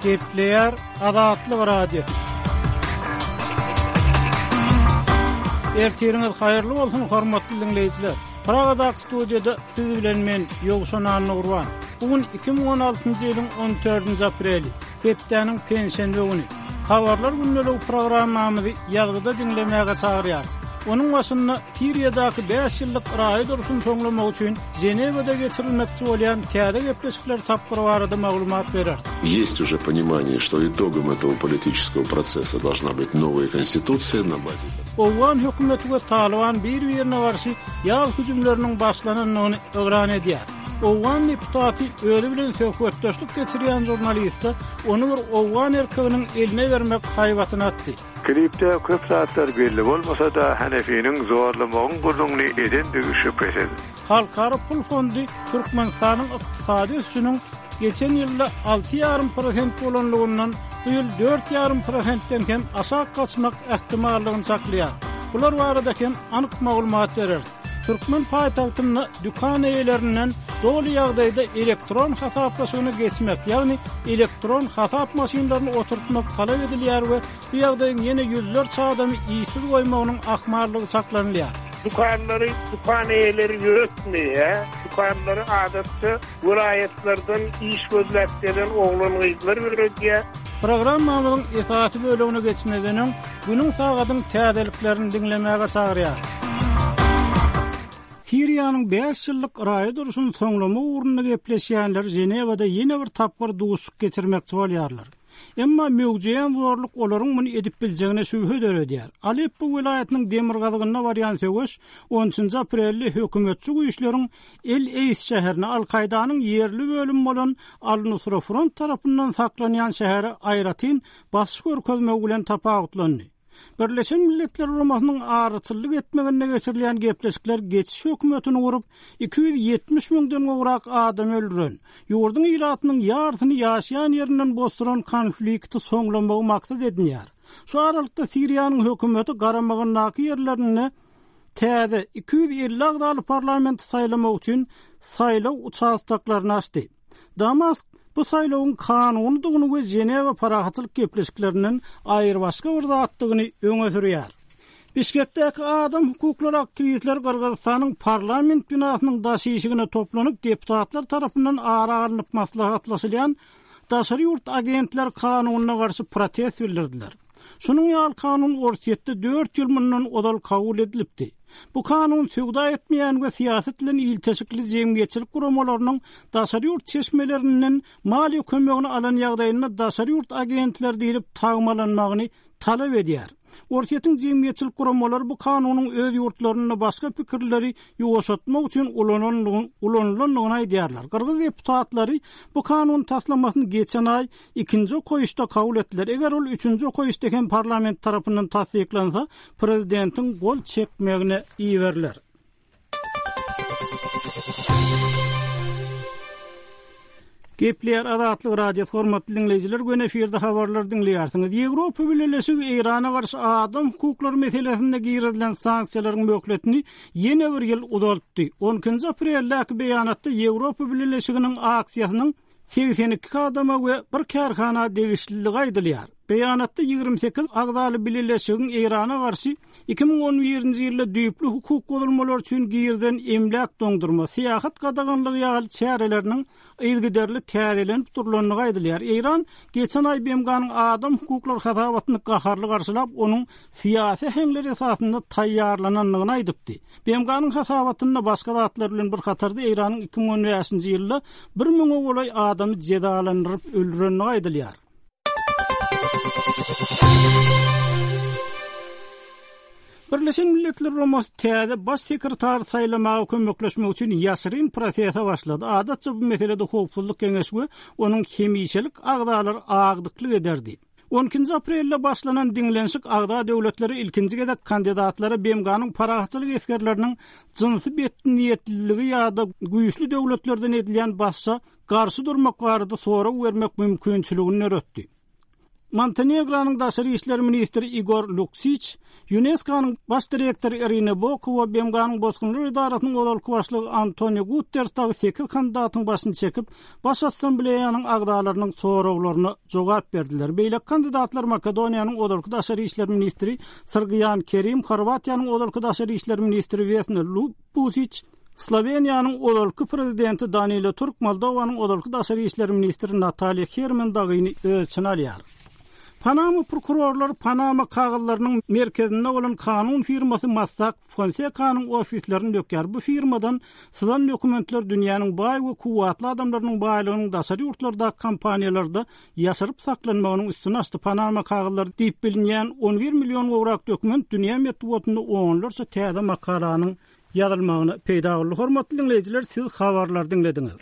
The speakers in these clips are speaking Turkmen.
Gepleýär Azatlyk Radiosy. Ertiriňiz haýyrly bolsun, hormatly diňleýjiler! Pragadaky studiýada siz bilen men, Ýowşan Annagurban. Bu gün 2016-njy ýylyň on dördünji apreli, hepdäniň penşenbe güni. Habarlar gündeligi programmamyzy ýazgyda diňlemäge çagyrýarys. Onuň başynda Siriýadaky bäş ýyllyk raýat urşuny soňlamak üçin Ženewada geçirilmekçi bolýan täze gepleşikler tapgyry barada maglumat bereris. Есть уже понимание, что итогом этого политического процесса должна быть новая конституция на базе. Owgan hökümeti we Talyban bir-birine garşy ýaz hüjümleriniň başlanandygyny yglan edýär. Owgan deputaty özi bilen söhbetdeşlik geçirýän žurnaliste ony bir owgan erkeginiň eline bermek haýbatyny atdy. Klipde köp zatlar belli bolmasa-da, Hanefiniň zorlamagyň gürrüňini edendigi şübhesiz. Halkara pul fondy Türkmenistanyň ykdysady ösüşiniň geçen ýylda 6,5 prosent bolanlygyndan bu ýyl 4,5 prosentden hem aşak gaçmak ähtimallygyny çaklaýar. Bular barada hem anyk maglumat bereris. Türkmen paýtagtynda dükan eýelerinden doly ýagdaýda elektron hasaplaşygyna geçmek, ýagny elektron hasap maşynlaryny oturtmak talap edilýär we bu ýagdaýyň ýene ýüzlerçe adamy işsiz goýmagynyň ahmallygy çaklanylýar. Dükanlary dükan eýeleri ýöretmeýär. Dükanlary adatça welaýatlardan iş gözläp gelen oglan-gyzlar ýöredýär. Programmamyzyň esasy bölegine geçmezden öň, günüň sagadyň täzeliklerini diňlemäge çagyrýarys. Siriýanyň bäş ýyllyk raýat urşuny soňlamak ugrunda gepleşýänler Ženewada ýene bir tapgyr duşuşyk geçirmekçi bolýarlar. Emma möwjeýän zorluk olaryň muny edip biljegine şübhe döredýär. Aleppo welaýatynyň demirgazygynda barýan söweş on üçünji aprelde hökümetçi güýçleriň El-Eýs şäherine, Al-Kaýdanyň ýerli bölümi bolan Al-Nusra Front tarapyndan saklanýan şähere aýratyn basyş görkezmegi bilen tapawutlandy. Birleşen Milletler Guramasynyň araçyllyk etmeginde geçirilýän gepleşikler geçiş hökümetini gurup, 270 müňden gowrak adamy öldüren, ýurduň ilatynyň ýarysyny ýaşaýan ýerinden bosduran konflikti soňlamagy maksat edinýär. Şu aralykda Siriýanyň hökümeti garamagyndaky ýerlerinde täze 250 agzaly parlamenti saýlamak üçin saýlaw uçastoklaryny açdy. Damask bu saýlawyň kanunydygyny we Ženewa parahatçylyk gepleşiklerinden aýrybaşga bir zatdygyny öňe sürýär. Bişkekdäki adam hukuklary aktiwistleri Gyrgyzystanyň parlament binasynyň daş işigine toplanyp, deputatlar tarapyndan ara alnyp maslahatlaşylýan daşary ýurt agentleri kanunyna garşy protest bildirdiler. Şunuň ýaly kanun Orsýetde dört ýyl mundan ozal kabul edilipdi. Bu kanun söwda etmeýän we syýasat bilen ilteşikli jemgyýetçilik guramalarynyň daşary ýurt çeşmelerinden maliýe kömegini alan ýagdaýynda daşary ýurt agentleri diýlip tagmalanmagyny talap edýär. Orsýetiň jemgyýetçilik guramalary bu kanunyň öz ýurtlarynda başga pikirleri ýuwaşatmak üçin ulanylandygyny aýdýarlar. Gyrgyz deputatlary bu kanun taslamasyny geçen aý ikinji okaýyşda kabul etdiler. Eger ol üçünji okaýyşda hem parlament tarapyndan tassyklansa, prezidentiň gol çekmegine iberiler. Gepleýär Azatlyk Radiosy hormatly diňleýjiler göni efirde habarlary diňleýärsiňiz. Ýewropa Bileleşigi Eýrana garşy adam hukuklary meselesinde girizilen sanksiýalaryň möhletini ýene bir ýyl uzaltdy. On ikinji apreldäki beýanatda Ýewropa Bileleşiginiň aksiýasynyň 82 adama we bir kärhana degişliligi aýdylýar. Beýanatda 28 agzaly bileleşigiň Eýrana garşy 2011-nji ýylda düýpli hukuk bozulmalary üçin girizen emläk doňdurma, syýahat gadaganlygy ýaly çäreleriniň yzygiderli täzelenip durlandygy aýdylýar. Eýran geçen aý BMG-niň adam hukuklary hasabatyny gaharly garşylap, onuň syýasy äheňler esasynda taýýarlanandygyny aýdypdy. BMG-niň hasabatynda başga zatlar bilen bir hatarda Eýranyň 2015-nji ýylda bir müňe golaý adamy jezalandyryp öldürendigi aýdylýar. Birleşen Milletler Guramasy täze Baş sekretary saýlamaga kömekleşmek üçin ýaşyryn prosese başlady. Adatça bu meselede Howpsuzlyk Geňeşi we onuň hemişelik agzalary agdyklyk ederdi. On ikinji aprelde başlanan diňlenişik agza döwletleri ilkinji gezek kandidatlara BMG-niň parahatçylyk esgerleriniň jynsy betniýetliligi ýa-da güýçli döwletlerden edilýän basyşa garşy durmak barada sorag bermek mümkinçiligini döretdi. Montenegronyň daşary işler ministri Igor Luksiç, Ýunesko-nyň baş direktory Irina Bokowa, BMG-niň Bosgunlar edarasynyň ozalky başlygy Antonio Guterres dagy sekiz kandidatyň başyny çekip, Baş Assambleýanyň agzalarynyň soraglaryna jogap berdiler. Beýleki kandidatlar Makedoniýanyň ozalky daşary işler ministri Srgýan Kerim, Horwatiýanyň ozalky daşary işler ministri Wesna Lubusiç, Sloweniýanyň ozalky prezidenti Danilo Turk, Moldowanyň ozalky daşary işler ministri Nataliýa Herman dagyny öz içine alýar. Panama prokurorlary Panama kagyzlarynyň merkezinde bolan kanun firmasy Mossack Fonsekanyň ofislerini dökýär. Bu firmadan syzan dokumentler dünýäniň baý we kuwwatly adamlarynyň baýlygynyň daşary ýurtlardaky kompaniýalarda ýaşyryp saklanmagynyň üstüni açdy. Panama kagyzlary diýip bilinýän 11 million gowrak dokument dünýä metbugatynda onlarça täze makalanyň ýazylmagyna peýda boldy. Hormatly diňleýjiler, siz habarlary diňlediňiz.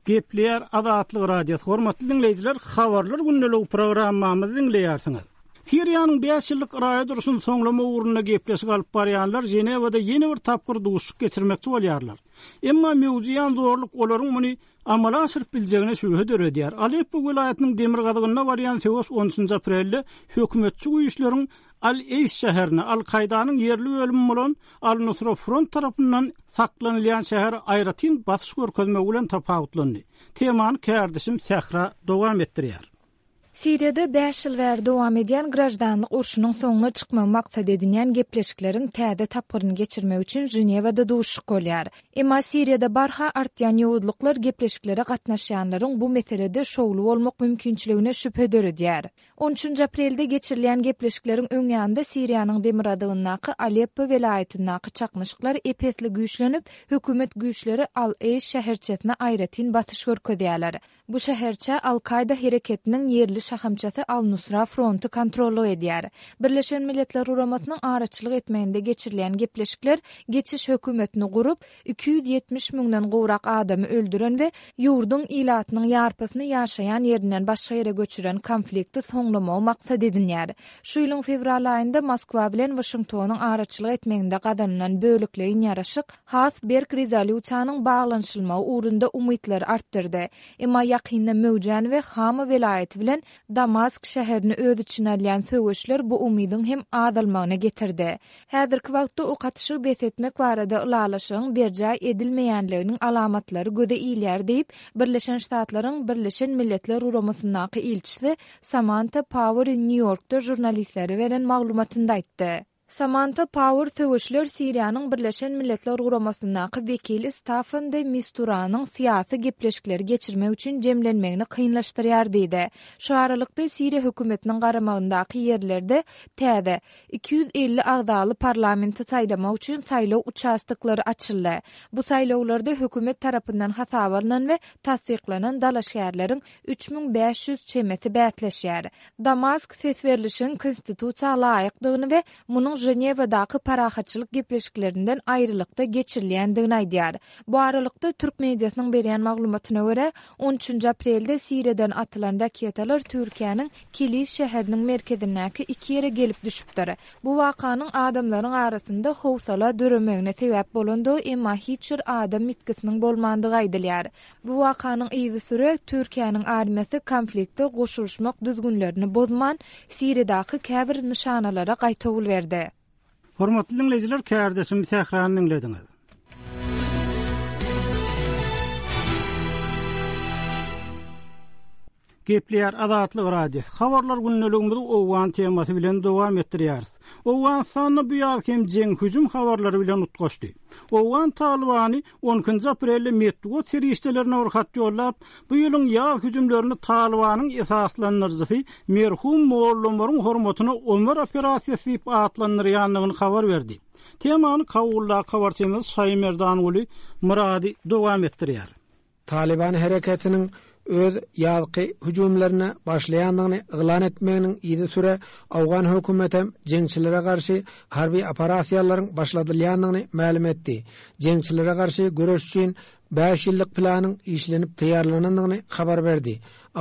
Gepleýär Azatlyk Radiosy. Hormatly diňleýjiler, Habarlar gündeligi programmamyzy diňleýärsiňiz. Siriýanyň bäş ýyllyk raýat urşuny soňlamak ugrunda gepleşik alyp barýanlar Ženewada ýene bir tapgyr duşuşyk geçirmekçi bolýarlar. Emma möwjeýän zorluk olaryň muny amala aşyryp biljegine şübhe döredýär. Aleppo welaýatynyň demirgazygynda barýan söweş on üçünji aprelde hökümetçi güýçleriň Al-Eýs şäherine, Al-Kaýdanyň ýerli bölümi bolan Al-Nusra Front tarapyndan saklanylýan şähere aýratyn basyş görkezmegi bilen tapawutlandy. Temany kärdeşim Sähra dowam etdirýär. Siriýada bäş ýyl bäri dowam edýän graždanlyk urşunyň soňuna çykmagy maksat edinýän gepleşikleriň täze tapgyryny geçirmek üçin Ženewada duşuşyk bolýar. Emma Siriýada barha artýan ýowuzlyklar gepleşiklere gatnaşýanlaryň bu meselede şowly bolmak mümkinçiligine şübhe döredýär. On üçünji aprelde geçirilýän gepleşikleriň öň ýanynda Siriýanyň demirgazygyndaky Aleppo welaýatyndaky çaknyşyklar ep-esli güýçlenip, hökümet güýçleri Al-Eýş şäherçesine aýratyn basyş görkezýärler. Bu şäherçä Al-Kaýda hereketiniň ýerli şahamçasy Al-Nusra fronty kontrollyk edýär. Birleşen Milletler Guramasynyň araçylyk etmeginde geçirilýän gepleşikler geçiş hökümetini gurup, 270 müňden gowrak adamy öldüren we ýurduň ilatynyň ýarpysyny ýaşaýan ýerinden başga ýere göçüren konflikti soňlamagy maksat edinýär. Şu ýylyň fewral aýynda Moskwa bilen Waşingtonyň araçylyk etmeginde gazanylan bölekleýin ýaraşyk has berk rezolýusiýanyň baglanyşylmagy ugrunda umytlary artdyrdy. Emma ýakynda möwjän we Hama welaýaty bilen Damask şäherini öz içine alýan söweşler bu umydyň hem azalmagyna getirdi. Häzirki wagtda ok atyşygy bes etmek barada ylalaşygyň berjaý edilmeýänliginiň alamatlary göze ilýär diýip, Birleşen Ştatlaryň Birleşen Milletler Guramasyndaky ilçisi Samanta Pauer Nýu-Ýorkda žurnalistlere beren maglumatynda aýtdy. Samanta Pauer söweşler Siriýanyň Birleşen Milletler Guramasyndaky wekili Staffan de Misturanyň syýasy gepleşikleri geçirmek üçin jemlenmegini kynlaşdyrýar diýdi. Şu aralykda, Siriýa hökümetiniň garamagyndaky ýerlerde täze, 250 agzaly parlamenti saýlamak üçin saýlaw uçastoklary açyldy. Bu saýlawlarda hökümet tarapyndan hasaba alnan we tassyklanan dalaşgärleriň 3500 çemesi bäsleşýär. Damask ses berlişigiň konstitusiýa laýykdygyny we munuň Ženewadaky parahatçylyk gepleşiklerinden aýrylykda geçirilýändigini aýdýar. Bu aralykda, türk mediasynyň berýän maglumatyna görä, on üçünji aprelde Siriýadan atylan raketalar Türkiýäniň Kilis şäheriniň merkezindäki iki ýere gelip düşüpdir. Bu wakanyň adamlaryň arasynda howsala döremegine sebäp bolandygy, emma hiç bir adam ýitgisiniň bolmandygy aýdylýar. Bu wakanyň yzysüre Türkiýäniň armiýasy konflikte goşulyşmak düzgünlerini bozman, Siriýadaky käbir nyşanalara gaýtawul berdi. Hormatly diňleýjiler, kärdeşim Sährany diňlediňiz. Gepleýär Azatlyk Radiosy. Habarlar gündeligimizi owgan temasy bilen dowam etdirýäris. Owganystanda bu ýaz hem jeň hüjüm habarlary bilen utgaşdy. Owgan Talybany on ikinji aprelde metbugat serişdelerine bir hat ýollap, bu ýylyň ýaz hüjümlerini Talybanyň esaslandyryjysy merhum Molla Omaryň hormatyna Omar operasiýasy diýip atlandyrýandygyny habar berdi. Temany Kabuldaky habarçymyz Şaýymerdanguly Myrady dowam etdirýär. Talyban hereketiniň öz ýazky hüjümlerine başlaýandygyny yglan etmeginiň yzysüre owgan hökümetem jeňçilere garşy harby operasiýalaryň başladylýandygyny mälim etdi. Jeňçilere garşy göreş üçin. Bäş ýyllyk planyň işlenip taýýarlanandygyny habar berdi.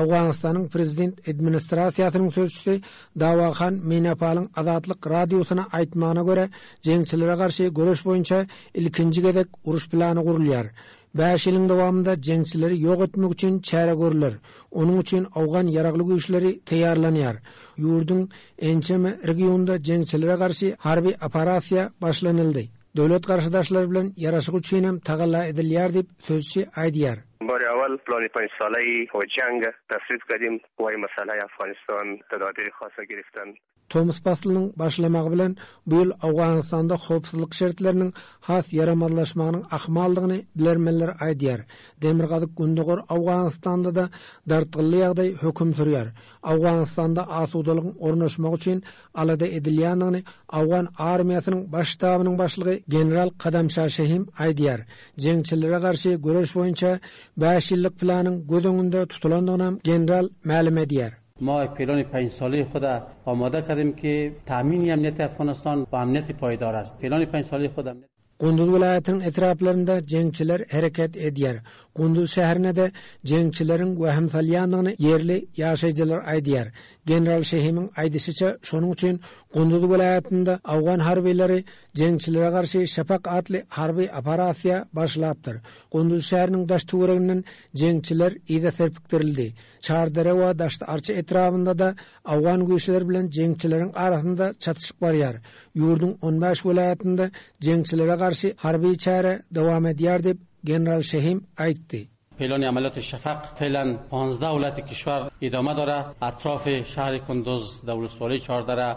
Owganystanyň prezident administrasiýasynyň sözçüsi Dawahan Menapalyň Azatlyk Radiosyna aýtmagyna görä, jeňçilere garşy göreş boýunça ilkinji gezek uruş plany gurulýar. Bäş ýylyň dowamynda jeňçileri ýok etmek üçin çäre görler. Onuň üçin owgan ýaragly güýçleri taýýarlanýar. Ýurduň ençeme regionynda jeňçilere garşy harby operasiýa başlanyldy. Döwlet garşydaşlary bilen ýaraşyk üçinem tagalla edilýär diýip, sözçi aýdýar. بار اول پلان پنج ساله و جنگ تصویب کردیم و این مسئله افغانستان تدابیر خاصه گرفتن. Tomus paslynyň başlamagy bilen bu ýyl Owganystanda howpsuzlyk şertleriniň has ýaramazlaşmagynyň ahmaldygyny bilermenler aýdýar. Demirgazyk-gündogar Owganystanda-da dartgynly ýagdaý höküm sürýär. Owganystanda asudalygyň ornaşmagy üçin alada edilýändigini owgan armiýasynyň baş ştabynyň başlygy general Kadamşa Şehim aýdýar. Jeňçilere garşy göreş boýunça bäş ýyllyk planyň göz öňünde tutulandygynam general mälim edýär. ما یک پلان پنج ساله خود آماده کردیم که تامین امنیت افغانستان و امنیت پایدار است. پلان پنج ساله خود امنیت Gunduz welaýatynyň etraplarynda jeňçiler hereket edýär. Gunduz şäherine-de jeňçileriň wehim salýandygyny ýerli ýaşaýjylar aýdýar. General Şehimiň aýdyşyça, şonuň üçin Gunduz welaýatynda owgan harbylary jeňçilere garşy Şapak atly harby operasiýa başlapdyr. Gunduz şäheriniň daş-töwereginden jeňçiler yza serpikdirildi. Çardere we Daşty-Arça etrabynda-da owgan güýçleri bilen jeňçileriň arasynda çatyşyk barýar. Ýurduň on bäş welaýatynda jeňçilere garşy harby çäre dowam edýär diýip, general Şehim aýtdy. پلان عملیات شفق فعلا پانزده ولایت کشور ادامه داره اطراف شهر کندوز در ولسوالی چهاردره.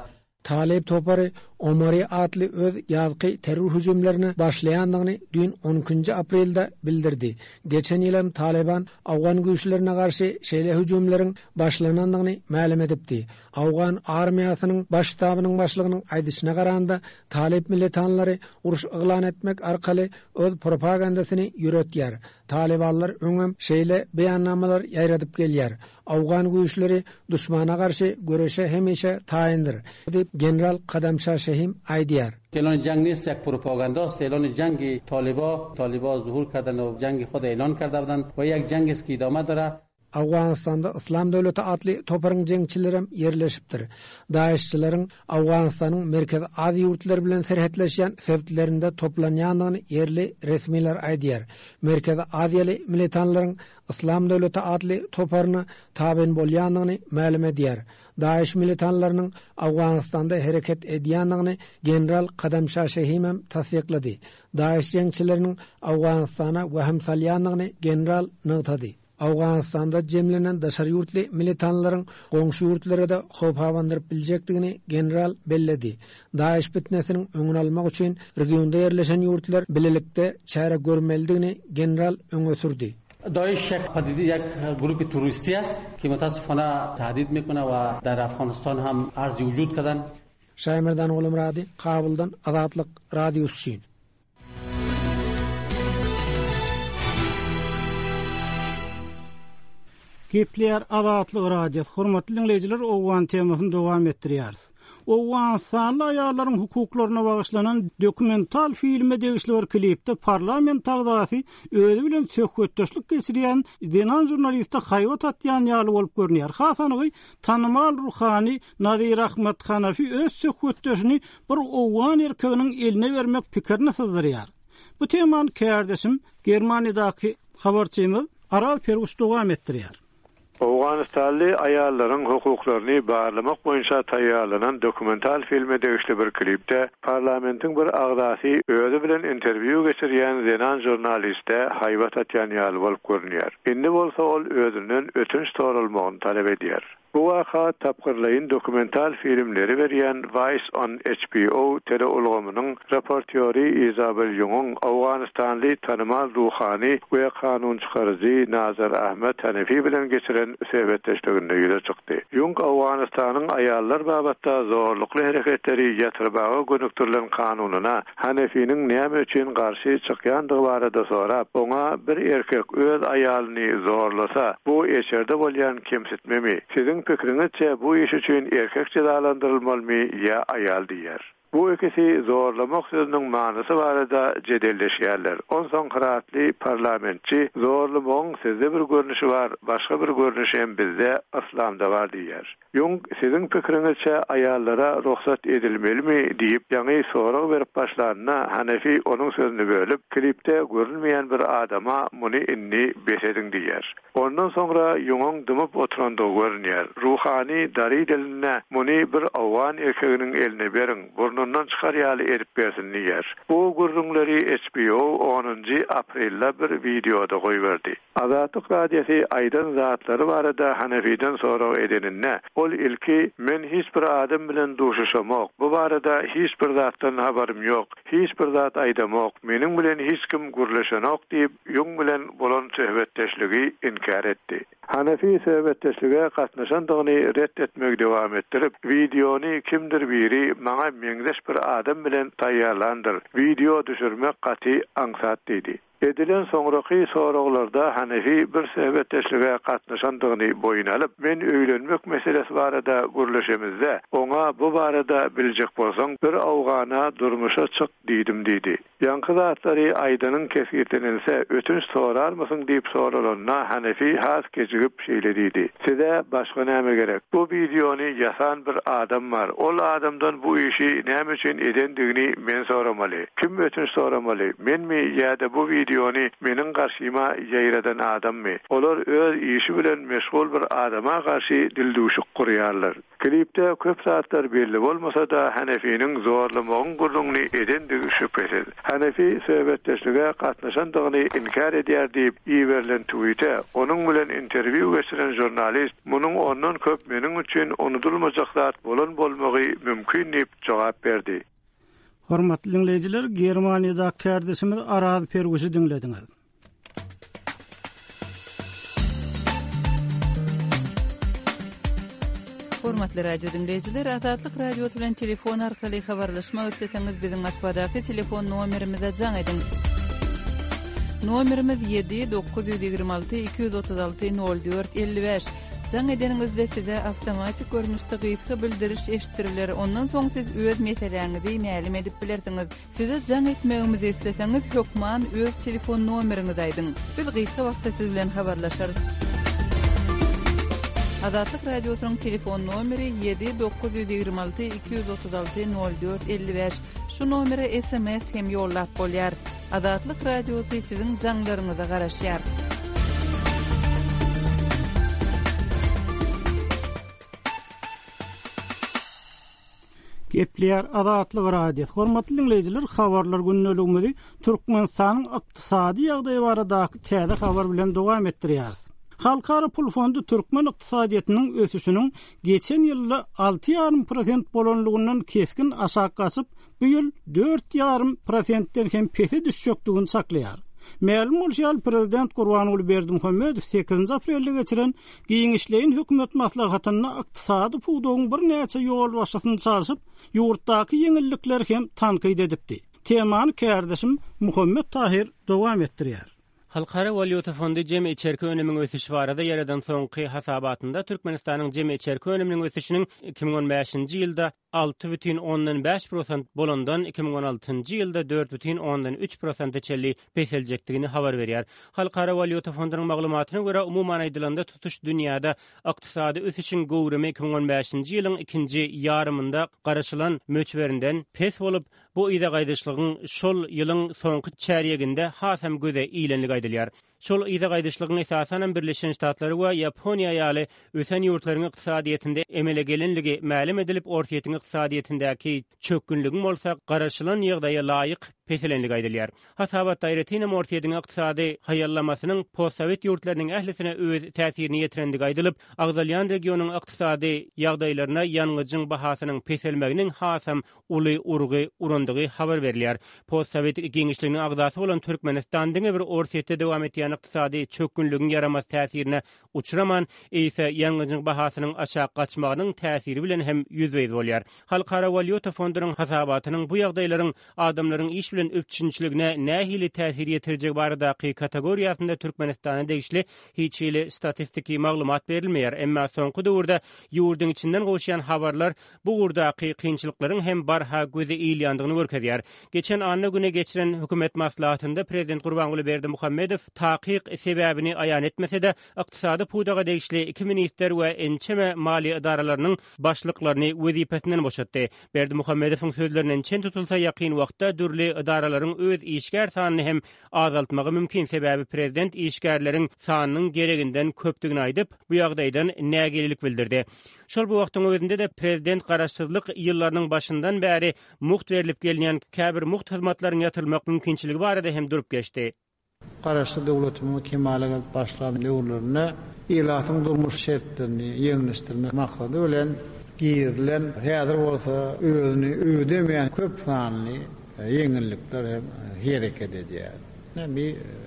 Talyp topary Omari atly öz ýazky terror hüjümlerine başlaýandygyny düýn on ikinji aprelde bildirdi. Geçen ýyl hem Talyban owgan güýçlerine garşy şeýle hüjümleriň başlanandygyny mälim edipdi. Owgan armiýasynyň baş ştabynyň başlygynyň aýdyşyna garanda, talyp militanlary uruş yglan etmek arkaly öz propagandasyny ýöretýär. Talybanlar öňem şeýle beýannamalar ýaýradyp gelýär. Owgan güýçleri duşmana garşy göreşe hemişe taýyndyr, diýip, general Kadamşa Şehim aýdýar. اعلان جنگ نیست یک پروپاگانداست اعلان جنگ طالبا طالبا ظهور کردن و جنگ خود اعلان کرده بودند و یک جنگ است که ادامه داره Owganystanda Yslam döwleti atly toparyň jeňçilerem ýerleşipdir. Daeşçileriň Owganystanyň Merkezi Aziýa ýurtlary bilen serhetleşýän sebitlerinde toplanýandygyny ýerli resmiler aýdýar. Merkezi Aziýaly militanlaryň Yslam döwleti atly toparyna tabyn bolýandygyny mälim edýär. Daeş militanlarynyň Owganystanda hereket edýändigini general Kadamşa Şehimem tassyklady. Daeş jeňçileriniň Owganystana wehim salýandygyny general nygtady. Owganystanda jemlenen daşary ýurtly militanlaryň goňşy ýurtlara-da howp abandyryp biljekdigini general belledi. Daeş pitnesiniň öňüni almak üçin regionda ýerleşen ýurtlar bilelikde çäre görmelidigini general öňe sürdi. داعش یک پدیده یک گروه تروریستی است که متاسفانه تهدید میکنه و در افغانستان هم عرض وجود کردن. Şaýmerdan Gulumyrady, Kabuldan Azatlyk Radiosy üçin. Gepleýär Azatlyk Radiosy. Hormatly diňleýjiler, owgan temasyny dowam etdirýäris. Owganystanly aýallaryň hukuklaryna bagyşlanan dokumental filme degişli bir klipde parlament agzasy özi bilen söhbetdeşlik geçirýän zenan žurnaliste haýbat atýan ýaly bolup görünýär. Has anygy, tanymal ruhany Nazir Ahmad Hanafi öz söhbetdeşini bir owgan erkeginiň eline bermek pikirini syzdyrýar. Bu temany kärdeşim, Germaniýadaky habarçymyz Araz Perguş dowam etdirýär. Owganystanly aýallaryň hukuklaryny barlamak boýunça taýýarlanan dokumental filme degişli bir klipde parlamentiň bir agzasy özi bilen interwýu geçirýän zenan žurnaliste haýbat atýan ýaly bolup görünýär. Indi bolsa ol özünden ötünç soralmagyny talap edýär. Bu waka tapgyrlaýyn dokumental filmleri berýän Vice on HBO teleulgamynyň reportýory Izabel Ýungyň owganystanly tanymal ruhany we kanunçykaryjy Nazar Ahmed Hanefi bilen geçiren söhbetdeşliginde ýüze çykdy. Ýung Owganystanyň aýallar babatda zorlukly hereketleri ýatyrmaga gönükdirilen kanunyna Hanefiniň näme üçin garşy çykýandygy barada sorap, oňa bir erkek öz aýalyny zorlasa, bu eşerde bolýan kemsitmemi? Siziň pikiriňizçe bu iş üçin erkek jezalandyrylmalymy ýa aýal diýýär. Bu ikisi zorlamak sözüniň manysy barada jedelleşýärler. Onsoň hyratly parlamentçi zorlamagyň sizde bir görnüşi bar, başga bir görnüşi hem bizde, yslamda bar diýýär. Ýung, siziň pikiriňizçe aýallara rugsat edilmelimi diýip, ýaňy sorag berip başlanda, Hanefi onuň sözüni bölüp, klipde görünmeýän bir adama muny indi bes ediň diýýär. Ondan soňra Ýungyň dymyp oturandygy görünýär. Ruhany dary dilinde muny bir owgan erkeginiň eline beriň, burnundan çykar ýaly edip bersin diýýär. Bu gürrüňleri HBO onunjy aprelde bir wideoda goýberdi. Azatlyk Radiosy aýdan zatlary barada Hanefiden sorag edeninde, ol ilki Men hiç bir adam bilen duşuşamok, bu barada hiç bir zatdan habarym ýok, hiç bir zat aýdamok, meniň bilen hiç kim gürleşenok diýip, Ýung bilen bolan söhbetdeşligi inkär etdi. Hanefi söhbetdeşlige gatnaşandygyny ret etmegi dowam etdirip, Wideony kimdir biri maňa meňzeş bir adam bilen taýýarlandyr, wideo düşürmek gaty aňsat diýdi. Edilen soňraky soraglarda Hanefi bir söhbetdeşlige gatnaşandygyny boýun alyp, Men öýlenmek meselesi barada gürleşemizde, oňa bu barada biljek bolsaň, bir owgana durmuşa çyk diýdim diýdi. Ýaňky zatlary aýdanyň kesgitlenilse, ötünç sorarmysyň diýip soralanda, Hanefi has kejigip şeýle diýdi, Size başga näme gerek? Bu wideony ýasan bir adam bar. Ol adamdan bu işi näme üçin edendigini men soramaly. Kim ötünç soramaly, menmi ýa-da bu wideony meniň garşyma ýaýradan adammy? Olar öz işi bilen meşgul bir adama garşy dildüwşük gurýarlar. Klipde köp zatlar belli bolmasa-da, Hanefiniň zorlamagyň gürrüňini edendigi şübhesiz. Hanefi söhbetdeşlige gatnaşandygyny inkär edýär diýip iberilen twite, onuň bilen interwýu geçiren žurnalist munuň ondan köp meniň üçin unudylmajak zat bolan bolmagy mümkin diýip jogap berdi. Hormatly diňleýjiler, Germaniýadaky kärdeşimiz Araz Perwişi diňlediňiz. Hormatly radio diňleýjiler, Azatlyk Radiosy bilen telefon arkaly habarlaşmak isleseňiz, biziň Moskwadaky telefon nomerimize jaň ediň. Nomerimiz 7 926 236 04 55. Jaň edeniňizde size awtomatik görnüşde gysga bildiriş eşitdiriler, ondan soň siz öz meseläňizi mälim edip bilersiňiz. Size jaň etmegimizi isleseňiz hökman öz telefon nomeriňizi aýdyň. Biz gysga wagtda siz bilen habarlaşarys. Azatlyk Radiosynyň telefon nomeri ýedi 926 236 04 55. Şu nomere sms hem ýollap bolýar. Azatlyk Radiosy siziň jaňlaryňyza garaşýar. Gepleýär Azatlyk Radiosy. Hormatly diňleýjiler, habarlar gündeligimizi Türkmenistanyň ykdysady ýagdaýy baradaky täze habar bilen dowam etdirýäris. Halkara pul fondy türkmen ykdysadyýetiniň ösüşiniň geçen ýylda 6,5 prosent bolanlygyndan kesgin aşak gaçyp, bu ýyl 4,5 prosentden hem pese düşjekdigini çaklaýar. Mälim bolşy ýaly, prezident Gurbanguly Berdimuhamedow sekizinji aprelde geçiren giňişleýin hökümet maslahatynda ykdysady pudagyň birnäçe ýolbaşçysyny çalşyp, ýurtdaky ýeňillikleri hem tankyt edipdi. Temany kärdeşim Muhammet Tahyr dowam etdirýär. Halkara walýuta fondy jemi içerki önümiň ösüşi barada ýaradan soňky hasabatynda Türkmenistanyň jemi içerki önüminiň ösüşiniň 2015-nji ýylda 6,5 prosent bolandan 2016-njy ýylda 4,3 prosente çenli peseljekdigini habar berýär. Halkara walýuta fondunyň maglumatyna görä, umuman aýdylanda, tutuş dünýäde ykdysady ösüşiň göwrümi 2015-nji ýylyň ikinji ýarymynda garaşylan möçberinden pes bolup, Bu yza gaýdyşlygyň şol ýylyň soňky çärýeginde hasam göze ilenligi aýdylýar. Şol yza gaýdyşlygyň esasanam Birleşen Ştatlary we Ýaponiýa ýaly ösen ýurtlaryň ykdysadyýetinde emele gelenligi mälim edilip, Orsýetiň ykdysadyýetindäki çökgünligiň bolsa garaşylan ýagdaýa laýyk peselenligi aýdylýar. Hasabatda aýratynam Orsýetiň ykdysady haýallamasynyň postsowet ýurtlarynyň ählisine öz täsirini ýetirendigi aýdylyp, agzalýan regionyň ykdysady ýagdaýlaryna ýangyjyň bahasynyň peselmeginiň hasam uly urgy urandygy habar berilýär. Postsowet giňişliginiň agzasy bolan Türkmenistan diňe bir Orsýetde dowam etýän ykdysady çökgünligiň ýaramaz täsirine uçraman, eýse ýangyjyň bahasynyň aşak gaçmagynyň täsiri bilen hem ýüzbe-ýüz bolýar. Halkara walýuta fondunyň hasabatynyň bu ýagdaýlaryň adamlaryň iş. bilen üpjünçiligine nähili täsir ýetirjegi baradaky kategoriýasynda Türkmenistana degişli hiç hili statistiki maglumat berilmeýär. Emma soňky döwürde ýurduň içinden gowuşýan habarlar bu ugurdaky kynçylyklaryň hem barha göze ilýändigini görkezýär. Geçen anna güni geçiren hökümet maslahatynda prezident Gurbanguly Berdimuhamedow takyk sebäbini aýan etmese-de, ykdysady pudaga degişli iki ministr we ençeme maliýe edaralarynyň başlyklaryny wezipesinden boşatdy. Berdimuhamedowyň sözlerinden çen tutulsa, ýakyn wagtda dürli edaralaryň öz işgär sanyny hem azaltmagy mümkin, sebäbi prezident işgärleriň sanynyň gereginden köpdügini aýdyp, bu ýagdaýdan nägilelik bildirdi. Şol bir wagtyň özünde-de prezident garaşsyzlyk ýyllarynyň başyndan bäri mugt berlip gelinýän käbir mugt hyzmatlaryň ýatyrylmak mümkinçiligi barada hem durup geçdi. Garaşsyz döwletimiziň kemala gelip başlan döwürlerinde ilatyň durmuş şertlerini ýeňilleşdirmek maksady bilen girizilen, häzir bolsa özüni ödemeýän köp sanly ýeňillikler hem hereket edýär. Bu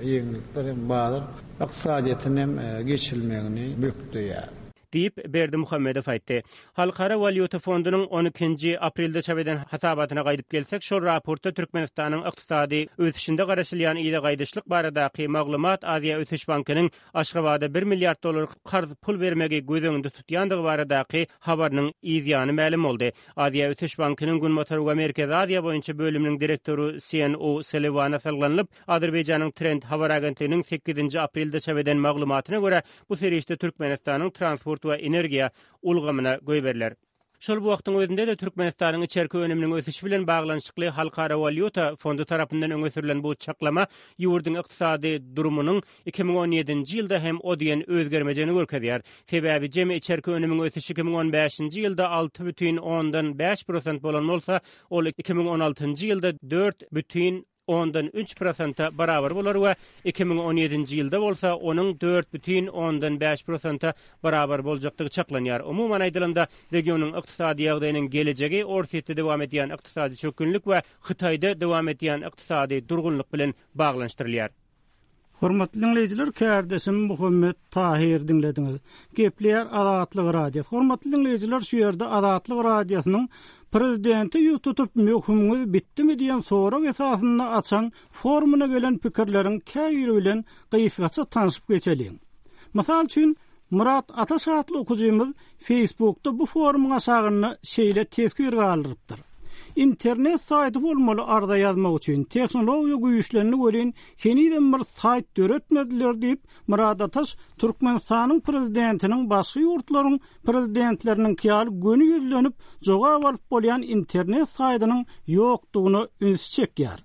ýeňillikler hem bazar ykdysadyýetine hem geçilmegini bökdeýär. Diýip, Berdimuhamedow aýtdy. Halkara walýuta fondunyň on ikinji aprelde çap eden hasabatyna gaýdyp gelsek, şol raportda Türkmenistanyň ykdysady ösüşinde garaşylýan yza gaýdyşlyk baradaky maglumat Aziýa ösüş bankynyň Aşgabada bir milliard dollar karz pul bermegi göz öňünde tutýandygy baradaky habarynyň yzýany mälim boldy. Aziýa ösüş bankynyň Günbatar we Merkezi Aziýa boýunça bölüminiň direktory Sien O'Sulliwana salgylanylyp, Azerbaýjanyň Trend habar agentliginiň sekizinji aprelde çap eden maglumatyna görä, bu serişde Türkmenistanyň transport we energiýa ulgamyna goýberiler. Şol bir wagtyň özünde-de Türkmenistanyň içerki önüminiň ösüşi bilen baglanyşykly Halkara walýuta fondy tarapyndan öňe sürlen bu çaklama ýurduň ykdysady durumynyň 2017-nji ýylda hem o diýen özgermejegini görkezýär. Sebäbi jemi içerki önümiň ösüşi 2015-nji ýylda 6,5 prosent bolan bolsa, ol 2016-njy ýylda dört bütin ondan üç prosente barabar bolar we 2017-nji ýylda bolsa onuň 4,5 prosente barabar boljakdygy çaklanýar. Umuman aýdylanda, regionyň ykdysady ýagdaýynyň gelejegi Orsýetde dowam edýän ykdysady çökgünlik we Hytaýda dowam edýän ykdysady durgunlyk bilen baglanyşdyrylýar. Hormatly diňleýjiler kärdeşim Muhammet Tahyr diňlediňiz. Gepleýär Azatlyk Radiosy. Hormatly diňleýjiler şu ýerde Azatlyk Radiosynyň Prezidente ýüz tutup möhümiňiz bitdimi diýen sorag esasynda açan forumyna gelen pikirleriň käbiri bilen gysgaça tanşyp geçeliň. Mysal üçin Myrat Ataş atly okyjymyz Facebookda bu forumyň aşagynda şeýle teswir galdyrypdyr, Internet saýty bolmaly arza ýazmak üçin, tehnologiýa güýçlendi welin, henizem bir saýt döretmediler diýip, Myrat Ataş Türkmenistanyň prezidentiniň başga ýurtlaryň prezidentleriniňki ýaly göni ýüzlenip jogap alyp bolýan internet saýtynyň ýokdugyna ünsi çekýär.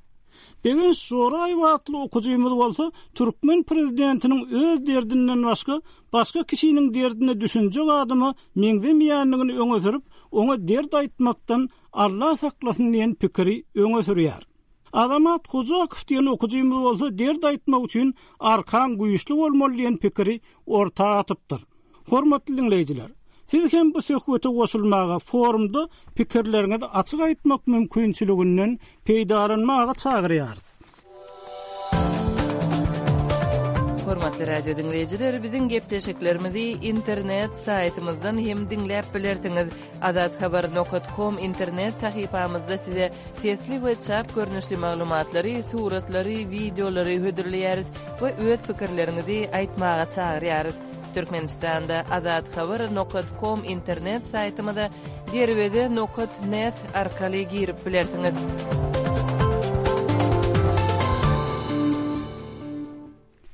Begenç Joraýew atly okyjymyz bolsa türkmen prezidentiniň öz derdinden başga, başga kişiniň derdine düşünjek adama meňzemeýändigini öňe sürüp, oňa dert aýtmakdan Alla saklasyn diýen pikiri öňe sürýär. Azamat Hojakow diýen okyjymyz bolsa dert aýtmak üçin arkaň güýçli bolmaly diýen pikiri orta atypdyr. Hormatly diňleýjiler! Siz hem bu söhbete goşulmaga, forumda pikirleriňizi açyk aýtmak mümkinçiliginden peýdalanmaga çagyrýarys. Hormatly radio diňleýjiler, biziň gepleşiklerimizi internet saýtymyzdan hem diňläp bilersiňiz. Azathabar nokat kom internet sahypamyzda size sesli we çap görnüşli maglumatlary, suratlary, wideolary hödürleýäris we öz pikirleriňizi aýtmaga çagyrýarys. Türkmenistanda Azathabar nokat kom internet saýtymyza derweze nokat net arkaly girip bilersiňiz.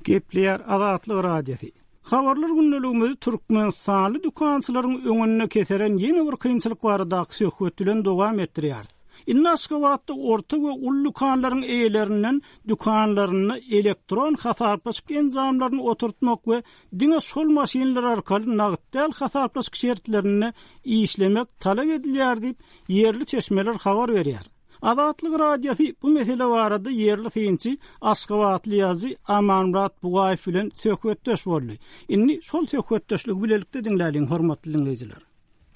Gepleýär Azatlyk Radiosy. Habarlar gündeligimizi türkmenistanly dükançylaryň öňünde keseren ýene bir kynçylyk baradaky söhbet bilen dowam etdirýäris. Indi Aşgabatda orta we uly dükanlaryň eýelerinden dükanlarynda elektron hasaplaşyk enjamlaryny oturtmak we diňe şol maşynlar arkaly nagt däl hasaplaşyk şertlerinde işlemek talap edilýär diýip, ýerli çeşmeler habar berýär. Azatlyk Radiosy bu mesele barada ýerli synçy, aşgabatly ýazyjy Amanmyrat Bugaýew bilen söhbetdeş boldy. Indi şol söhbetdeşligi bilelikde diňläliň, hormatly diňleýjiler.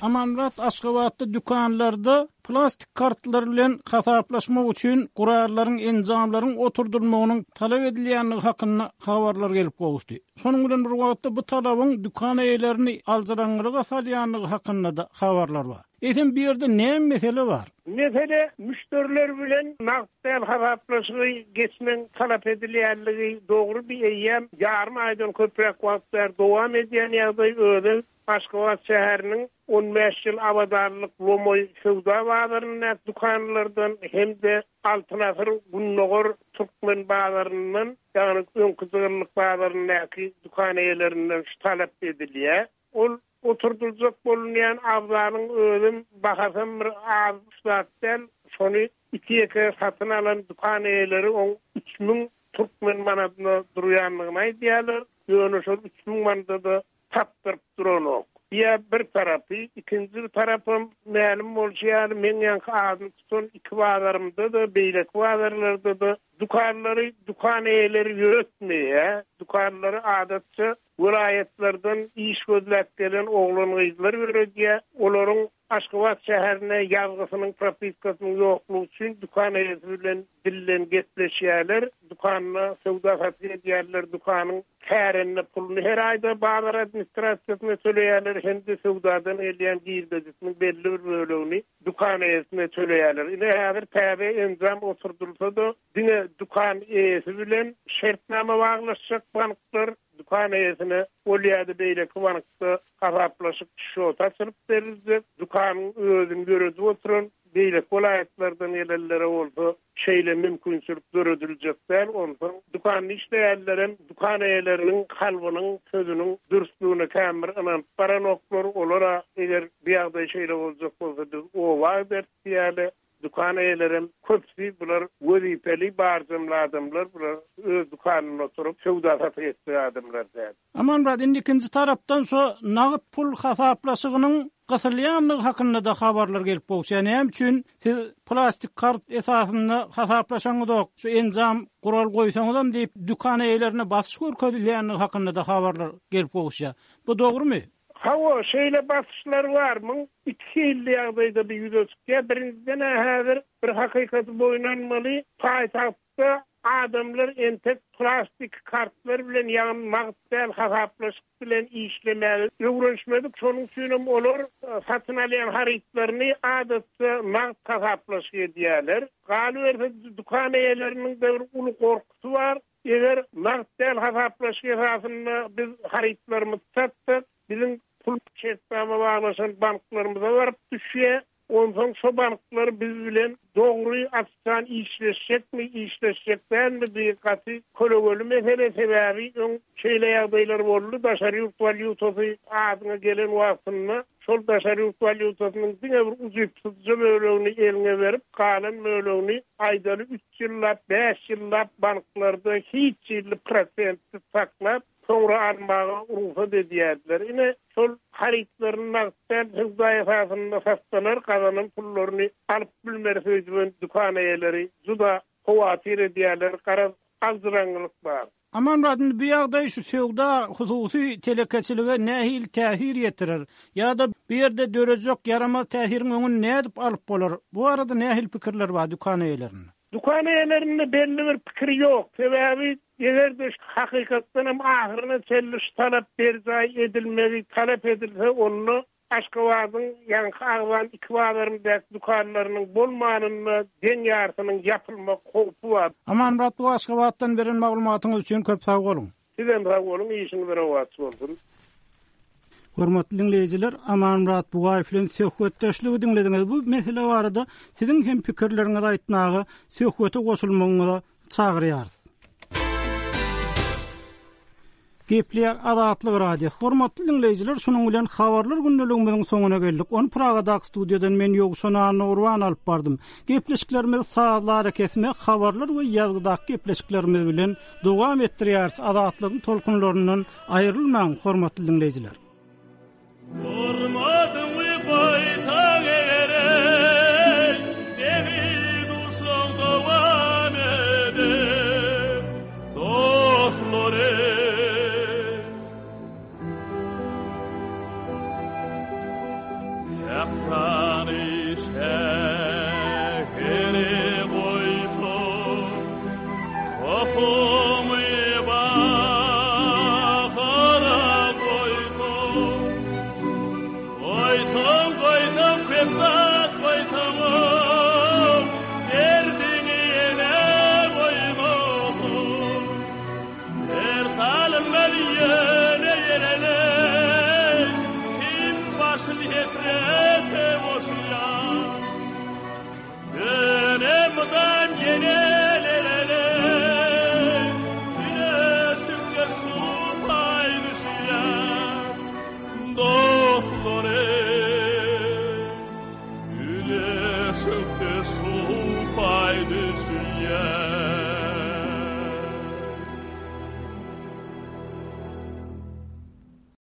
Amanmyrat Aşgabatda dükanlarda plastik kartlar bilen hasaplaşmak üçin gurallaryň, enjamlaryň oturdylmagynyň talap edilýändigi hakynda habarlar gelip gowuşdy. Şonuň bilen bir wagtda bu talabyň dükan eýelerini aljyraňňylyga salýandygy hakynda-da habarlar bar. Eýsem bu ýerde näme mesele bar? Mesele müşderiler bilen nagt däl hasaplaşygy geçmegiň talap edilýänligi dogry bi eýýäm ýarym aýdan köpräk wagt bäri dowam edýän ýagdaý özem Aşgabat şäheriniň 15 ýyl abadanlyk lomaý söwda bazaryndaky dükanlardan hem-de Altyn asyr gündogar türkmen bazaryndan ýagny öňki jygyllyk bazaryndaky dükan eýelerinden şu talap edilýär. Ol oturdyljak bolunýan abzalyň özem bahasam bir az zat däl, şony iki-ýeke satyn alan dükan eýeleri oň 3000 türkmen manadyna durýandygyny aýdýarlar. Ýöne şol 3000 manada-da tapdyryp duranok. Diýä bir tarapy, ikinji bir tarapam mälim bolşy ýaly meň ýaňky adyny tutan iki bazarymda-da, beýleki bazarlarda-da dükanlary dükan eýeleri ýöretmeýär. Dükanlary adatça welaýatlardan iş gözläp gelen oglan-gyzlar ýöredýär. Olaryň Aşgabat şäherine ýazgysynyň, propiskasynyň ýoklugy üçin dükan eýesi bilen dilden gepleşýärler. Dükanda söwda-satyk edýärler, dükanyň kärende puluny her aýda bazar administrasiýasyna töleýärler hem-de söwdadan gelýän girdejisiniň belli bir bölegini dükan eýesine töleýärler. Ine, häzir täze enjam oturdylsa-da, diňe dükan eýesi bilen şertnama baglaşjak banklar dükan eýesine ol ýa-da beýleki bankda hasaplaşyk şoty açylyp beriljek, dükanyň özüni ýöredip oturan beýleki welaýatlardan gelenlere bolsa şeýle mümkinçilik dörediljek däl. Onsoň dükanda işleýänlerem dükan eýeleriniň kalbynyň, sözüniň dürslügine kän bir ynanyp baranoklar. Olar-a eger bu ýagdaý şeýle boljak bolsa biz oba gideris diýýärler. Dükan eýelerem köpüsi bular wezipeli barjamly adamlar, bular öz dükanynda oturyp söwda-satyk etjek adamlar däl. Amanmyrat, indi ikinji tarapdan şo nagt pul hasaplaşygynyň gysylýandygy hakynda-da habarlar gelip gowuşýar. Näme üçin siz plastik kart esasynda hasaplaşaňyzok, şu enjam, gural goýsaňyzam diýip, dükan eýelerine basyş görkezilýändigi hakynda-da habarlar gelip gowuşýar. Bu dogrumy? Hawa, şeýle basyşlar bar. Muň iki hilli ýagdaýda bu ýüze çykýar. Birinjiden-ä häzir bir hakykaty boýun almaly, paýtagtda adamlar entek plastik kartlar bilen, ýagny nagt däl hasaplaşyk bilen işlemäge öwrenişmedik. Şonuň üçinem olar satyn alýan harytlaryny adatça nagt hasaplaşyk edýärler. Galyberse, dükan eýeleriniň-de bir uly gorkusy bar. Eger nagt däl hasaplaşyk esasynda biz harytlarymyzy satsak, biziň pul şertnama baglaşan banklarymyza baryp düşýär. Onsoň şo banklar biz bilen dogry, açjan işleşjekmi, işleşjek dälmi, bu gaty kölegeli mesele. Sebäbi öň şeýle ýagdaýlar boldy, daşary ýurt walýutasy adyňa gelen wagtynda şol daşary ýurt walýutasynyň diňe bir ujypsyzja bölegini eliňe berip, galan bölegini aýdaly üç ýyllap, bäş ýyllap banklarda hiç hili prosentsiz saklap, soňra almaga rugsat edýärdiler. Ine, şol harytlaryny nagt däl söwda esasynda satsalar, gazanan pullaryny alyp bilmeris öýdüben dükan eýeleri juda howatyr edýärler, garaz, aljyraňňylyk bar. Amanmyrat, indi bu ýagdaý şu söwda, hususy telekeçilige nähili täsir ýetirer? Ýa-da bu ýerde dörejek ýaramaz täsiriň öňüni nädip alyp bolar? Bu barada nähili pikirler bar dükan eýelerinde? Dükan eýelerinde belli bir pikir ýok. Sebäbi eger-de hakykatdan hem ahyryna çenli şu talap berjaý edilmegi talap edilse, onda Aşgabadyň ýaňky agzan iki bazaryndaky dükanlarynyň bolmanynda deň ýarsynyň ýapylmak howpy bar. Amanmyrat bu Aşgabatdan beren maglumatyňyz üçin köp sag boluň. Sizem sag boluň işiňiz rowaç bolsun. Hormatly diňleýjiler, Amanmyrat Bugaýew bilen söhbetdeşligi diňlediňiz. Bu mesele barada siziň hem pikirleriňizi aýtmaga, söhbete goşulmagyňyza çagyrýarys. Gepleýär Azatlyk Radiosy. Hormatly diňleýjiler, şunuň bilen habarlar gündeligimiziň soňuna geldik. Ony Pragadaky studiýadan men Ýowşan Annagurban alyp bardym. Gepleşiklerimizi sazly arakesme, habarlar we ýazgydaky gepleşiklerimiz bilen dowam etdirýäris. Azatlygyň tolkunlaryndan aýrylmaň, hormatly diňleýjiler. Hormatyňy goýsaň eger-eý, Deňi-duşlaň dowam eder, dostlar-eý. Sährany şäheri goýsaň, Tohumy bahara goýsaň, Goýsaň, goýsaň köp zat.